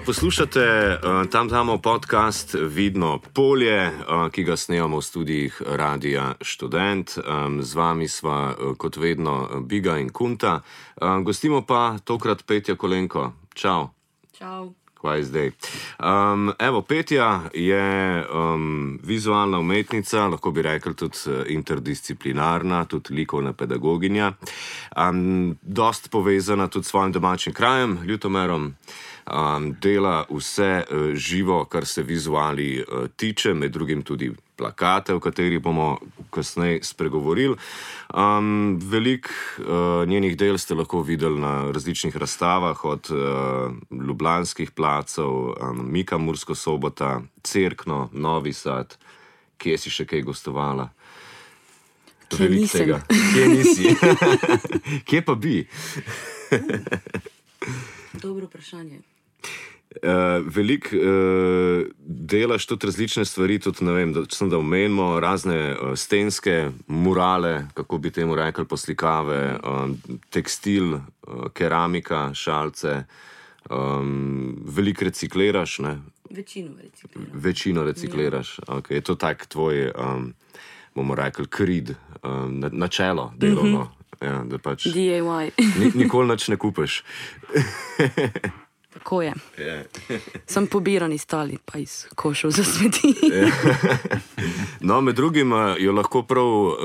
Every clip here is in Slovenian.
Poslušate Tam podcast Vidno polje, ki ga snemamo v studijih Radia Študent. Z vami sva kot vedno Biga in Kunta. Gostimo pa tokrat Petja Kolenko. Čau. Čau. Kaj je zdaj? Evo, Petja je vizualna umetnica, lahko bi rekli tudi interdisciplinarna, tudi likovna pedagoginja. Dost povezana tudi s svojim domačim krajem, Ljutomerom. Dela vse živo, kar se vizuali tiče, med drugim tudi plakate, o katerih bomo kasneje spregovorili. Veliko njenih del ste lahko videli na različnih razstavah, od ljubljanskih placov, Mika Mursko Sobota, Cerkno, Novi Sad. Kje si še kaj gostovala? Kje nisem? Kje nisi? Kje pa bi? Dobro vprašanje. Veliko delaš tudi različne stvari, tudi ne vem, da omenimo razne stenske murale, kako bi temu rekli, poslikave, tekstil, keramika, šalce, veliko recikliraš, ne? Večino recikliraš. Ja. Okay. Je to tak tvoj, bomo rekli, krid, načelo delovno. Ja, da pač DIY. Nikoli nič ne kupiš. Tako je. Sem pobiran iz tali, pa iz košov za smeti. No, med drugim jo lahko prav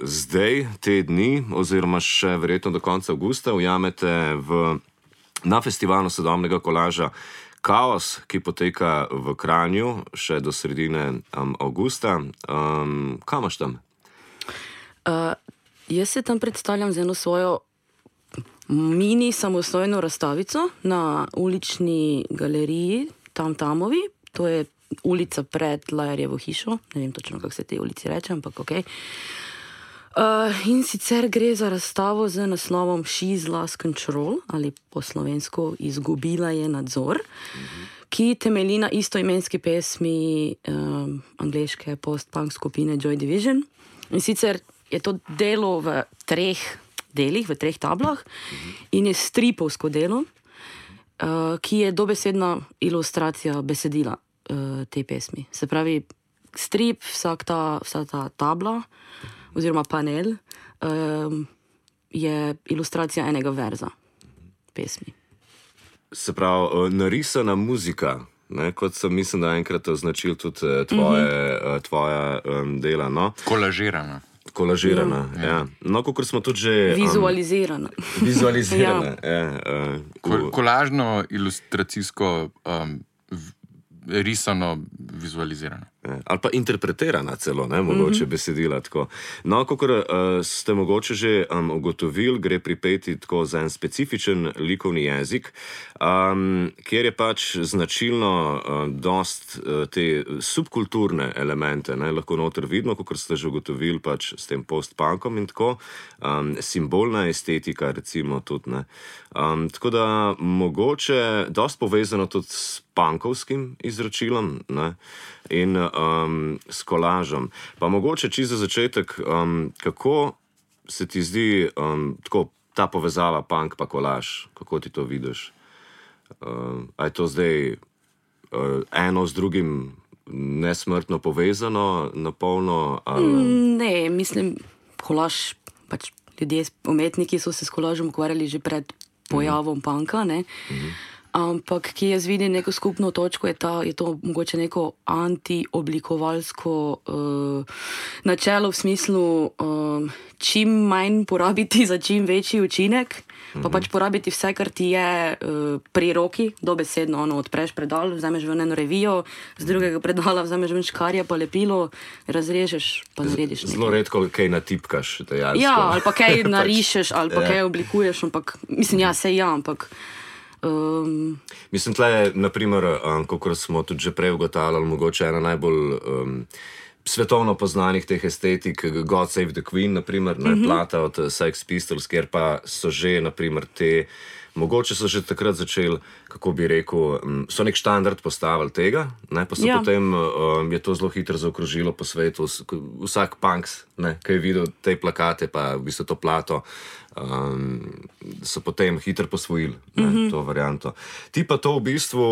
zdaj, te dni, oziroma še verjetno do konca avgusta, ujamete na festivalu sodobnega kolaža Kaos, ki poteka v Kranju še do sredine avgusta. Kaj imaš tam? Jaz se tam predstavljam z eno svojo mini samostojno razstavico na ulični galeriji Tam-Tamovi. To je ulica pred Lajarjevo hišo. Ne vem točno, kako se te ulici reče, ampak ok. In sicer gre za razstavo z naslovom She's Lost Control, ali po slovensko Izgubila je nadzor, ki temelji na istoimenski pesmi angleške post-punk skupine Joy Division. In sicer je to delo v treh delih, v treh tablah in je stripovsko delo, ki je dobesedna ilustracija besedila te pesmi. Se pravi, strip, vsa ta tabla oziroma panel je ilustracija enega verza pesmi. Se pravi, narisana muzika, ne? Kot sem mislim, da enkrat označil tudi tvoja dela, no? Kolažirana, ja. No, kakor smo tudi že... Vizualizirana. Ja. Kolažno, ilustracijsko, risano, vizualizirano. Ali pa interpretirana celo, ne, mogoče besedila tako. No, kakor ste mogoče že ugotovili, gre pri Peti tako za en specifičen likovni jezik, kjer je pač značilno dost te subkulturne elemente, ne, lahko noter vidno, kakor ste že ugotovili pač s tem post-punkom in tako, simbolna estetika recimo tudi, ne. Tako da mogoče dost povezano tudi s punkovskim izročilom, ne, in s kolažem. Pa mogoče čisto za začetek, kako se ti zdi tako ta povezava punk pa kolaž? Kako ti to vidiš? A je to zdaj eno z drugim nesmrtno povezano, napolno? Ne, mislim, kolaž, pač ljudje, umetniki so se s kolažem ukvarjali že pred pojavom punka, ne? Ampak, ki jaz vidim neko skupno točko, je to mogoče neko antioblikovalsko načelo v smislu čim manj porabiti za čim večji učinek, pa pač porabiti vse, kar ti je pri roki, dobesedno, odpreš predal, vzameš ven eno revijo, z drugega predala vzameš ven škarje, pa lepilo, razrežeš, pa narediš nekaj. Zelo redko kaj natipkaš, dejansko. Ja, ali pa kaj narišeš, ali pa kaj oblikuješ, ampak, mislim, ampak mislim, tle je, naprimer, kakor smo tudi že prej ugotavljali, mogoče ena najbolj svetovno poznanih teh estetik, God Save the Queen, naprimer, plata od Sex Pistols, kjer pa so že, naprimer, te Mogoče so že takrat začeli, kako bi rekel, so nek standard postavili tega, ne, pa so potem je to zelo hitro zaokrožilo po svetu. Vsak punks, ki je videl te plakate, pa v bistvu to plato, so potem hitro posvojili to varianto. Ti pa to v bistvu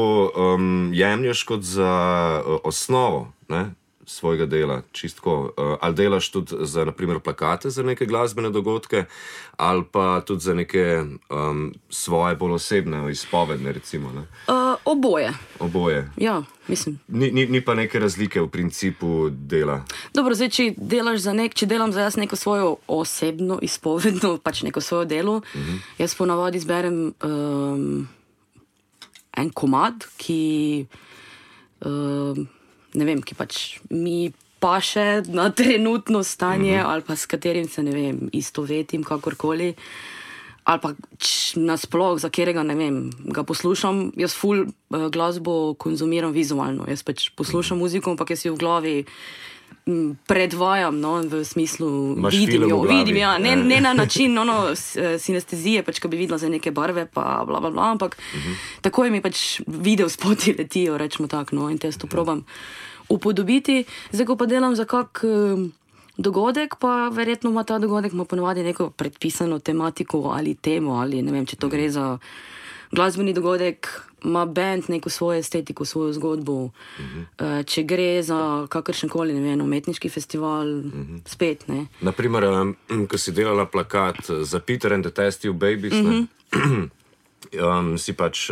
jemlješ kot za osnovo, ne, svojega dela, čistko. Ali delaš tudi za, naprimer, plakate za neke glasbene dogodke, ali pa tudi za neke svoje bolj osebne izpovedne, recimo, ne? Oboje. Oboje. Ja, mislim. Ni pa neke razlike v principu dela. Dobro, zdaj, če delam za jaz neko svojo osebno izpovedno, pač neko svojo delo, jaz ponavadi izberem en komad, ki ne vem, ki pač mi paše na trenutno stanje ali pa s katerim se, ne vem, istovetim kakorkoli. Ali pa nasploh, za katerega, ne vem, ga poslušam. Jaz ful glasbo konzumiram vizualno. Jaz pač poslušam muziko, ampak jaz jo v glavi predvajam, no, v smislu vidim jo, ja, ne na način sinestezije, pač, ko bi videla za neke barve, pa bla, bla, bla, ampak takoj mi pač video spoti letijo, rečemo tako, no, in te to probam upodobiti. Zdaj, ko pa delam za kak dogodek, pa verjetno ima ta dogodek ponovadi neko predpisano tematiko ali temo, ali ne vem, če to gre za glasbeni dogodek, ima band neko svojo estetiko, svojo zgodbo. Če gre za kakršenkoli, ne vem, umetniški festival, spet, ne. Naprimer, ko si delala plakat za Peter and the Test Tube Babies, si pač,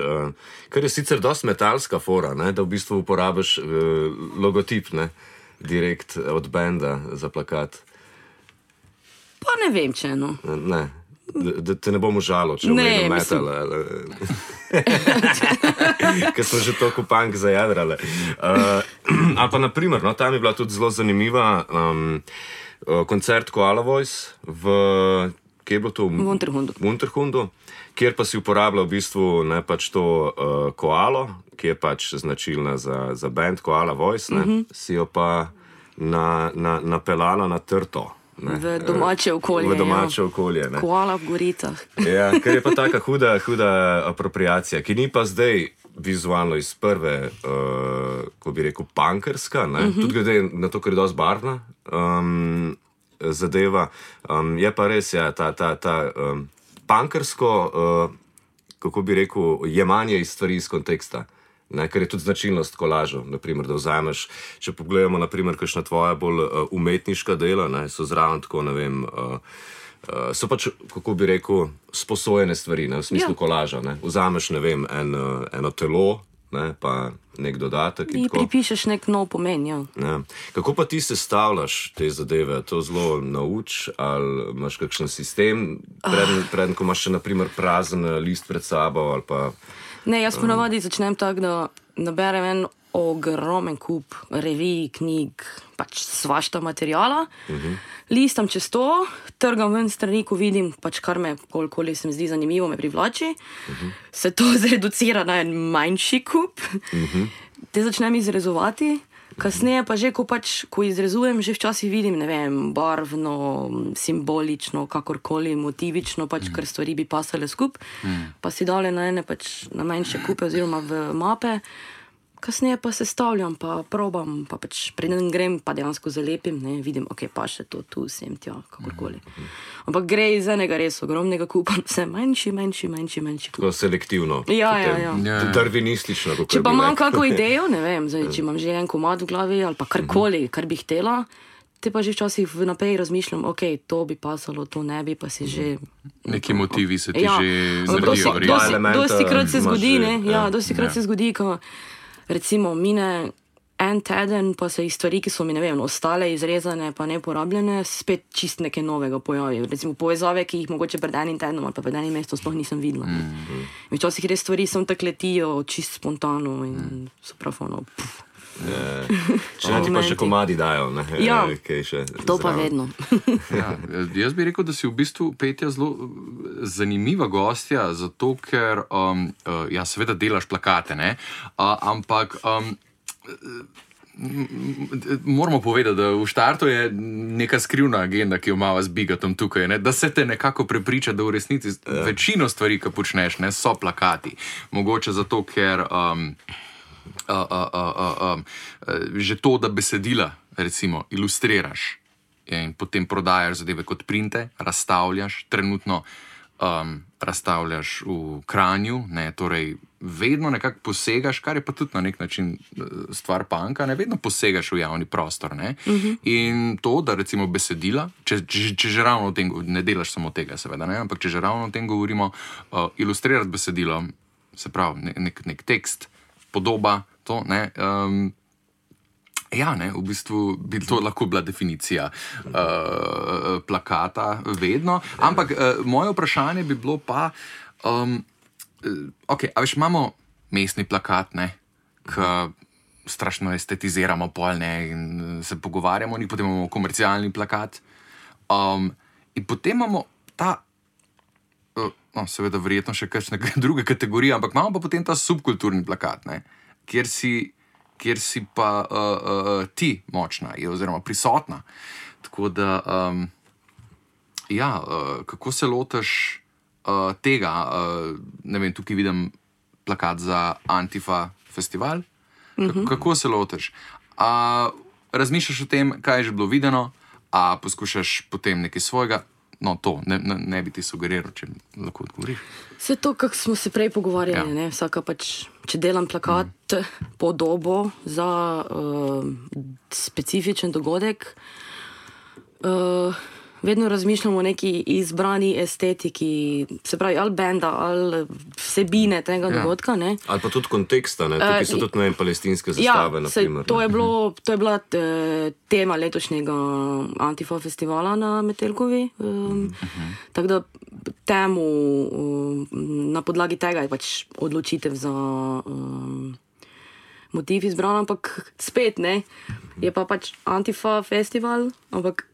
kar je sicer dosti metalska fora, ne, da v bistvu uporabiš logotip, ne, direkt od benda za plakat. Pa ne vem, če, no. Ne. Da te ne bom užalo, če omenim metal. Ker smo že toliko punk zajadrali. Ali pa naprimer, no, tam je bila tudi zelo zanimiva koncert Koala Voice kje je bilo to? V Unterhundu, kjer pa si uporabljal v bistvu ne, pač to koalo, ki je pač značilna za band Koala Voice, ne, si jo pa napeljala na trto. Ne, v domače okolje. V domače okolje, ne. Koala v goricah. Ja, ker je pa taka huda apropriacija, ki ni pa zdaj vizualno iz prve, ko bi rekel, punkerska, ne, tudi glede na to, ker je dosti barvna zadeva. Je pa res, ja, ta punkersko, kako bi rekel, jemanje iz stvari iz konteksta. Ne, ker je tudi značilnost kolažov, naprimer, da vzameš, če pogledamo, naprimer, kakšna tvoja bolj umetniška dela, ne, so zraven tako, ne vem, so pač, kako bi rekel, sposojene stvari, ne, v smislu kolaža, ne. Vzameš, ne vem, eno telo, ne, pa nek dodatek in tako. Pripišeš nek nov pomen, ja. Ja. Kako pa ti sestavljaš te zadeve? To zelo nauč, ali imaš kakšen sistem, preden ko imaš še, naprimer, prazen list pred sabo, ali pa... Ne, jaz ponavadi začnem tako, da naberem en ogromen kup revij, knjig, pač svašta materijala, listam čez to, trgam ven strani, ko vidim, pač kar me, kolikoli se mi zdi zanimivo, me privlači, se to zreducira na en manjši kup, te začnem izrezovati, kasneje pa že, ko izrezujem, že včasih vidim, ne vem, barvno, simbolično, kakorkoli, motivično, pač, ker stvari bi pasale skup, pa si dale na ene, pač, na manjše kupe oziroma v mape, kasneje pa sestavljam, pa probam, pa pač preden grem, pa dejansko zalepim, ne, vidim, ok, pa še to, tu, sem, tja, kakorkoli. Ampak gre iz enega res ogromnega kupa, vse manjši kup. Tako selektivno. Ja. Darvinistično, kako če pa imam kako idejo, ne vem, zdaj, če imam že en komad v glavi, ali pa karkoli, kar bi htela, te pa že včasih vnaprej razmišljam, ok, to bi pasalo, to ne bi, pa si že... Neki motivi se ti že zredijo. Dostikrat se zgodi, ne, dostikrat se zgodi, ko recimo mine en teden, pa se iz stvari, ki so mi, ne vem, ostale izrezane, pa neporabljene, spet čist nekaj novega pojavijo. Recimo povezave, ki jih mogoče pred enim tednom ali pa pred enim mestom sploh nisem videla. Včasih res stvari sem tak letijo čist spontano in so prav ono. Če ne ti pa še komadi dajo, ne? Ja, še to pa vedno. Jaz bi rekel, da si v bistvu, Petja, zelo zanimiva gostja, zato ker ja, seveda delaš plakate, ne? Ampak Moramo povedati, da v štartu je neka skrivna agenda, ki jo imamo z Bigatom tukaj, ne? Da se te nekako prepriča, da v resnici večino stvari, ki počneš, ne, so plakati. Mogoče zato, ker že to, da besedila recimo ilustriraš in potem prodajaš zadeve kot printe, razstavljaš, trenutno razstavljaš v Kranju, ne, torej vedno nekako posegaš, kar je pa tudi na nek način stvar punka, ne, vedno posegaš v javni prostor, ne. In to, da recimo besedila, če že ravno o tem, ne delaš samo tega seveda, ne, ampak če že ravno o tem govorimo, ilustrirati besedilo, se pravi nek tekst, podoba, to, ne, ja, ne, v bistvu bi to lahko bila definicija plakata vedno, ampak moje vprašanje bi bilo pa, ok, a veš, imamo mestni plakat, ne, ki strašno estetiziramo pol, ne, in se pogovarjamo, in potem imamo komercialni plakat, in potem imamo ta, no, seveda verjetno še kakšne druge kategorije, ampak imamo pa potem ta subkulturni plakat, ne, kjer si pa ti močna, oziroma prisotna. Tako da, ja, kako se lotiš tega, ne vem, tukaj vidim plakat za Antifa festival, kako se lotiš? Razmišljaš o tem, kaj je že bilo videno, a poskušaš potem nekaj svojega? No, to ne bi ti sugeriral, če lahko odgovoriš. Vse to, kako smo se prej pogovarjali, ne, vsaka pač, če delam plakat, podobo za specifičen dogodek, vedno razmišljamo o neki izbrani estetiki, se pravi, ali benda, ali vsebine tega dogodka, ne. Ali pa tudi konteksta, ne, tukaj so tudi, ne vem, palestinske zastave, na primer. To je bila tema letošnjega Antifa festivala na Metelkovi, tako da temu, na podlagi tega je pač odločitev za motiv izbran, ampak spet, ne, je pa pač Antifa festival, ampak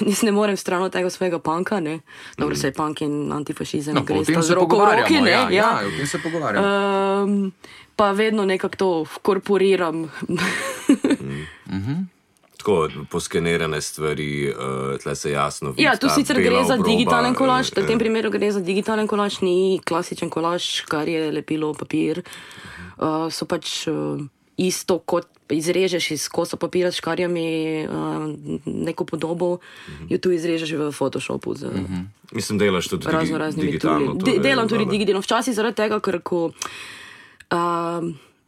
jaz ne morem stran od tega svojega punka, ne. Dobro, se je punk in antifašizem, no, gre sta z roko v roki, ne. Ja, o tem se pogovarjamo. Pa vedno nekako to vkorporiram. Tako poskenirane stvari, tle se jasno vidi. Ja, tu sicer gre za digitalen kolaž, v tem primeru gre za digitalen kolaž, ni klasičen kolaž, kar je lepilo papir. So pač isto, kot izrežeš iz kosa papira s škarjami neko podobo, jo tu izrežeš v Photoshopu. Mislim, delaš tudi digitalno. Delam tudi digitalno. Včasih zaradi tega, ker ko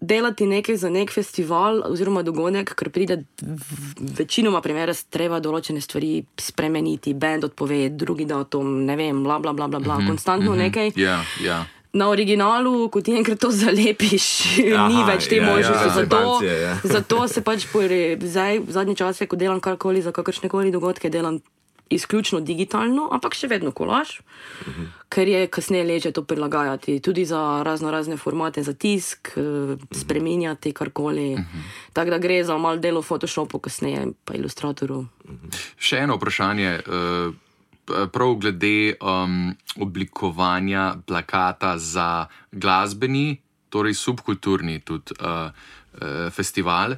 delati nekaj za nek festival oziroma dogodek, ker pride večinoma primere, treba določene stvari spremeniti, band odpove, drugi datum, ne vem, bla, bla, bla, bla, bla, konstantno nekaj. Ja. Na originalu, ko ti enkrat to zalepiš, ni več te možnosti. Zato se pač zdaj, v zadnji čase, ko delam karkoli za kakršnekoli dogodke, delam izključno digitalno, ampak še vedno kolaž, ker je kasneje leže to prilagajati, tudi za razne formate, za tisk, spreminjati karkoli. Tako da gre za malo delo v Photoshopu, kasneje pa Illustratoru. Še eno vprašanje, prav glede oblikovanja plakata za glasbeni, torej subkulturni tudi festival.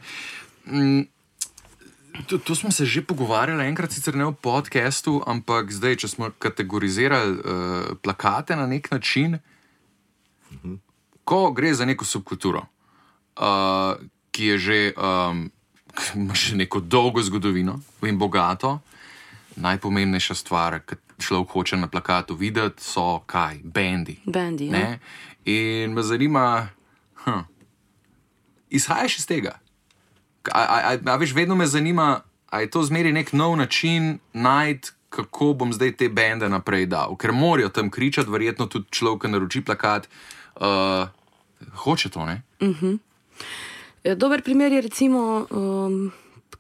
To smo se že pogovarjali enkrat, sicer ne v podcastu, ampak zdaj, če smo kategorizirali plakate na nek način, ko gre za neko subkulturo, ki je že, ima še neko dolgo zgodovino in bogato, najpomembnejša stvar, ki človek hoče na plakatu videti, so kaj? Bendi. Bendi, ja. Ne? In me zanima, izhajaš iz tega? A veš, vedno me zanima, a je to zmeri nek nov način najti, kako bom zdaj te bende naprej dal? Ker morajo tam kričati, verjetno tudi človek, ki naroči plakat, hoče to, ne? Dober primer je recimo,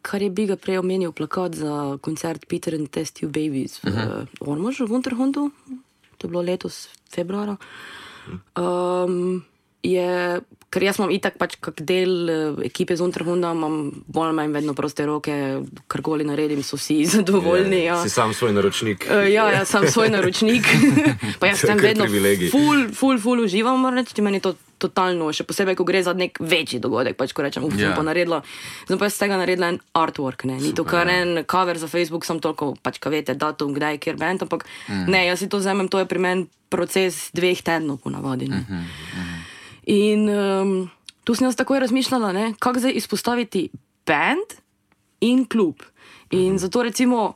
kar je Biga prej omenil, plakat za koncert Peter and Test Tube Babies v Ormožu, v Unterhundu, to je bilo letos februara. Ker jaz imam itak pač kak del ekipe z Unterhunda, imam bolj manj vedno proste roke, karkoli naredim, so vsi zadovoljni. Si sam svoj naročnik. Ja, sam svoj naročnik. Pa jaz sem vedno ful uživam, moram reči, meni to totalno, še posebej, ko gre za nek večji dogodek, pač ko rečem, sem pa naredila, sem pa iz tega naredila en artwork, ne, ni to kar en cover za Facebook, sem toliko, pač ka vete, datum, kdaj, kjer band, ampak ne, jaz si to vzamem, to je pri meni proces 2 tednov ponavadi, ne. In tu sem jaz takoj razmišljala, ne, kako zdaj izpostaviti band in klub. In zato recimo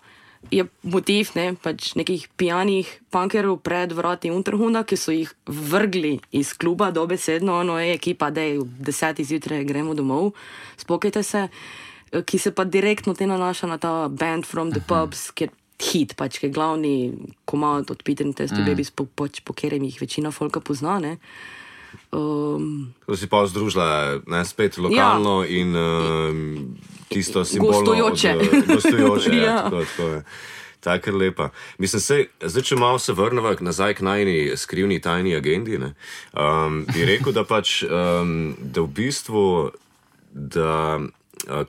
je motiv, ne, pač nekih pijanih punkerov pred vrati Unterhunda, ki so jih vrgli iz kluba dobesedno, ono je ekipa, dej, 10 zjutraj gremo domov, spokajte se, ki se pa direktno te nanaša na ta Band from the Pubs, ki je hit, pač, ki je glavni komad od Peter and Testy Babies, po katerem jih večina folka pozna, ne. Ko si pa združila, ne, spet lokalno in tisto simbolno gostujoče, tako je. Tako je lepa. Mislim, zdaj, če malo se vrneva nazaj k najni skrivni tajni agendi, ne, bi rekel, da pač, da v bistvu, da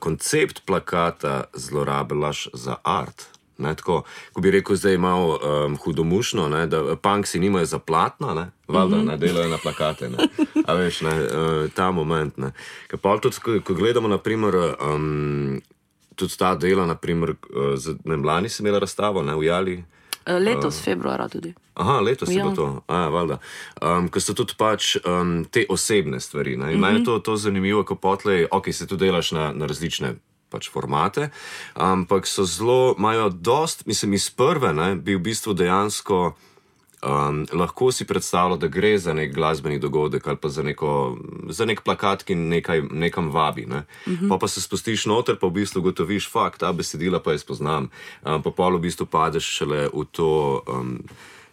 koncept plakata zlorabljaš za art. Ne, tako, ko bi rekel zdaj malo hudomušno, ne, da punksi nimajo za platna, ne, valjda, ne, delajo na plakate, ne, a veš, ne, ta moment, ne. Ker pa tudi, ko gledamo, naprimer, tudi ta dela, naprimer, ne, lani si imela razstavo, ne, v Jali. Letos, februara tudi. Aha, letos je bilo to, valjda. Ko so tudi pač te osebne stvari, ne, in meni je to zanimivo, ko potlej, ok, se tu delaš na različne pač formate, ampak so zelo, imajo dost, mislim, iz prve, ne, bi v bistvu dejansko lahko si predstavljal, da gre za nek glasbeni dogodek ali pa za nek plakat, ki nekam vabi, ne. Pa se spustiš noter, pa v bistvu gotoviš, fakt, ta besedila pa jaz poznam, pa pol v bistvu padeš šele v to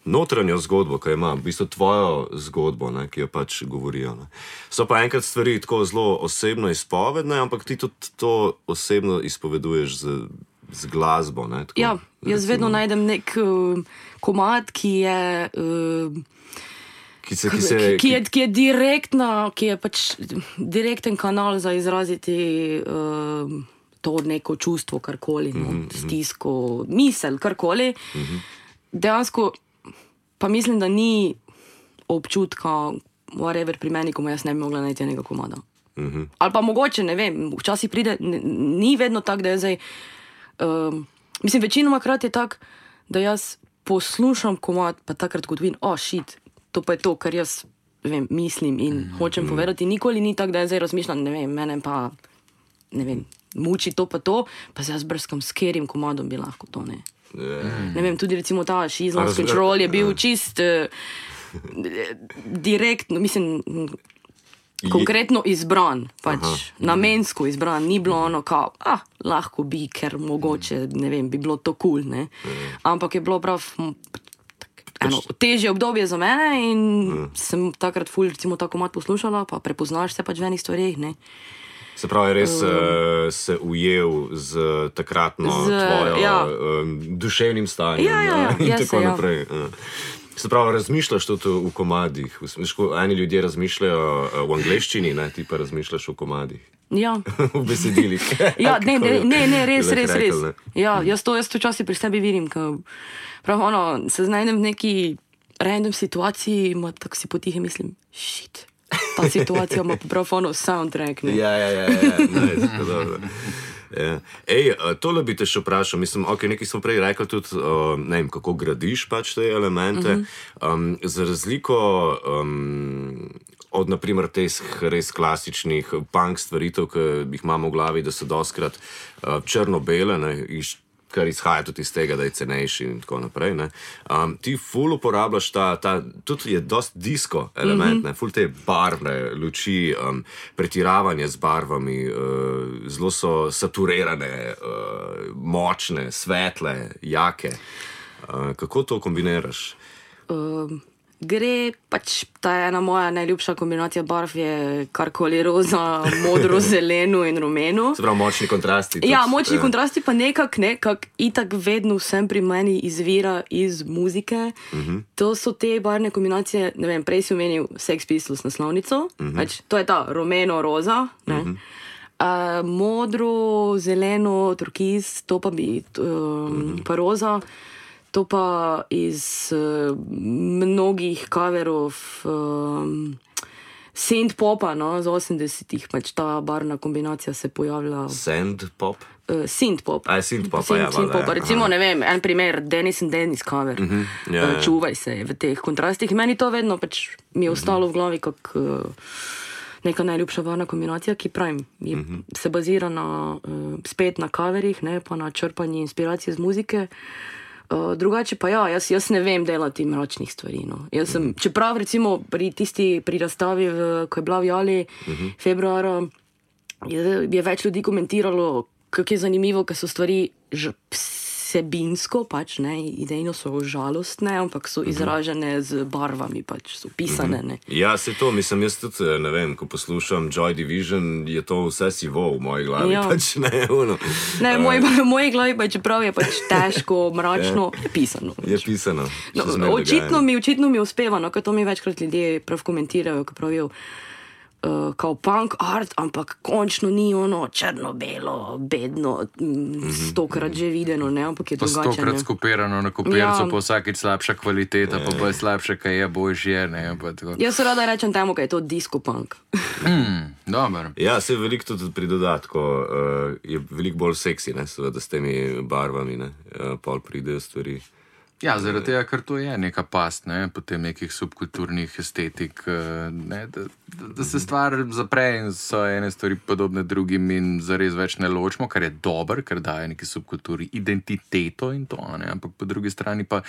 notranjo zgodbo, ki ima, v bistvu tvojo zgodbo, ne, ki jo pač govorijo. Ne. So pa enkrat stvari tako zelo osebno izpovedne, ampak ti tudi to osebno izpoveduješ z glasbo. Ne, tako, ja, jaz vedno najdem nek komad, ki je direktna, ki je pač direkten kanal za izraziti to neko čustvo, karkoli, stisko, misel, karkoli. Dejansko pa mislim, da ni občutka, whatever pri meni, ko jaz ne bi mogla najti enega komada. Ali pa mogoče, ne vem, včasih pride, ni vedno tak, da je zdaj, mislim, večinoma krat je tak, da jaz poslušam komad, pa takrat kot vidim, shit, to pa je to, kar jaz, vem, mislim in hočem povedati. Nikoli ni tak, da je zdaj razmišljam, ne vem, mene pa, ne vem, muči to, pa se jaz brskam, s katerim komadom bi lahko to, ne. Ne vem, tudi recimo ta She's Lost Control je bil čist direktno, mislim, konkretno izbran, pač namensko izbran, ni bilo ono kao, lahko bi, ker mogoče, ne vem, bi bilo to cool, ne. Ampak je bilo prav eno težje obdobje za mene in sem takrat ful, recimo, ta komad poslušala, pa prepoznaš se pač v enih stvareh, ne. Se pravi, res se ujel z takratno tvojo duševnim stanjem in tako naprej. Se pravi, razmišljaš tudi v komadih. Eni ljudje razmišljajo v angleščini, ne, ti pa razmišljaš v komadih. Ja. V besedilih. Ja, ne, res. Ja, jaz to včasih pri sebi vidim, ko prav ono, se znajdem v neki random situaciji, tako si potihe mislim, shit. Ta situacija ima prav ono soundtrack, ne? Ja, nice, dobro. Ja. Ej, tole bi te še vprašal, mislim, ok, nekaj smo prej rekli tudi, ne vem, kako gradiš pač te elemente, za razliko od, naprimer, teh res klasičnih punk stvaritev, ki jih imamo v glavi, da so dostkrat črno-bele, ne, kar izhaja tudi iz tega, da je cenejši in tako naprej, ne. Ti ful uporabljaš tudi je dost disco element, ne, ful te barvne luči, pretiravanje z barvami, zelo so saturirane, močne, svetle, jake. Kako to kombiniraš? Gre, pač ta ena moja najljubša kombinacija barv je karkoli roza, modro, zeleno in rumeno. Se pravi, močni kontrasti. Ja, močni kontrasti pa nekak itak vedno vsem pri meni izvira iz muzike. To so te barvne kombinacije, ne vem, prej si omenil Sex Pistols naslovnico, pač to je ta rumeno-roza, ne. Modro, zeleno, turkiz, to pa bi pa roza. To pa iz mnogih coverov synth-popa, no, z 80-ih, pač ta barvna kombinacija se pojavlja. Sand-pop? Synth-pop. Synth-pop, ja. Synth-pop. Recimo, ne vem, en primer, Dennis and Dennis cover. Čuvaj se v teh kontrastih. Meni to vedno pač mi je ostalo v glavi kot neka najljubša barvna kombinacija, ki pravim, se bazira spet na coverih, ne, pa na črpanju inspiracije z muzike. Drugače pa ja, jaz ne vem delati mračnih stvari. No. Čeprav recimo pri razstavi, ko je bila v Jali februara, je več ljudi komentiralo, kako je zanimivo, ker so stvari vsebinsko, pač, ne, idejno so žalostne, ampak so izražene z barvami, pač, so pisane. Ne. Ja, se to, mislim, jaz tudi, ne vem, ko poslušam Joy Division, je to vse sivo v moji glavi, pač, ne, ono. Ne, v moji glavi pa čeprav je pač težko, mračno, je pisano. Je pisano. No, očitno mi uspeva, no, ker to mi večkrat ljudje prav komentirajo, ko pravijo, kao punk art, ampak končno ni ono črno-belo, bedno, 100-krat že videno, ne, ampak je drugače. 100-krat skopirano na kopircu, pa vsakič slabša kvaliteta, pa bolj slabše, kaj je božje, ne. Jaz rada rečem temu, kaj je to disco punk. Dobar. Ja, se veliko tudi pri dodatku, je veliko bolj seksi, ne, seveda s temi barvami, ne, pol pridejo stvari. Ja, zaradi tega, ker to je neka past, ne, potem nekih subkulturnih estetik, ne, da se stvar zapre in so ene stvari podobne drugim in zares več ne ločimo, kar je dober, ker daje neki subkulturi identiteto in to, ne, ampak po drugi strani pa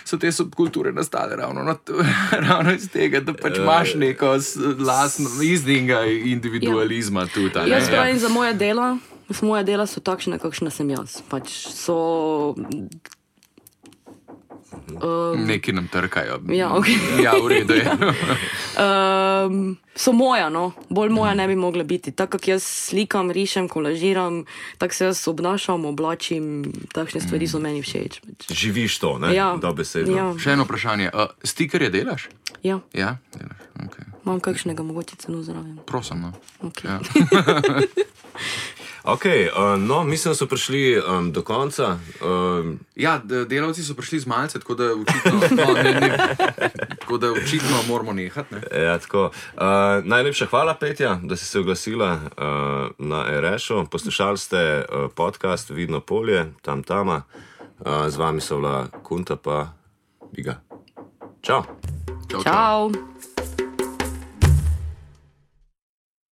so te subkulture nastale ravno iz tega, da pač imaš neko lastno iznega individualizma tudi, ne. Jaz pravim, za moja dela so takšne, kakšna sem jaz. Pač so... Neki nam trkajo. Ja, okay. Ja, v redu je. So moja, no. Bolj moja ne bi mogla biti. Tako, kak jaz slikam, rišem, kolažiram, tako se jaz obnašam, oblačim, takšne stvari so meni všeč. Živiš to, ne? Ja. Dobesedno. Ja. Še eno vprašanje. Stikerje delaš? Ja. Ja, delaš. Okay. Imam kakšnega mogoče celo zraven. Prosim, no. Okay. Ja. Ok, no, mislim, da so prišli do konca. Ja, delavci so prišli z malce, tako da očitno moramo nehati. Ne? Ja, tako. Najlepša hvala, Petja, da si se oglasila na RŠ-u. Poslušali ste podcast Vidno polje, tam. Z vami so bila Kunta pa Biga. Čau. Čau.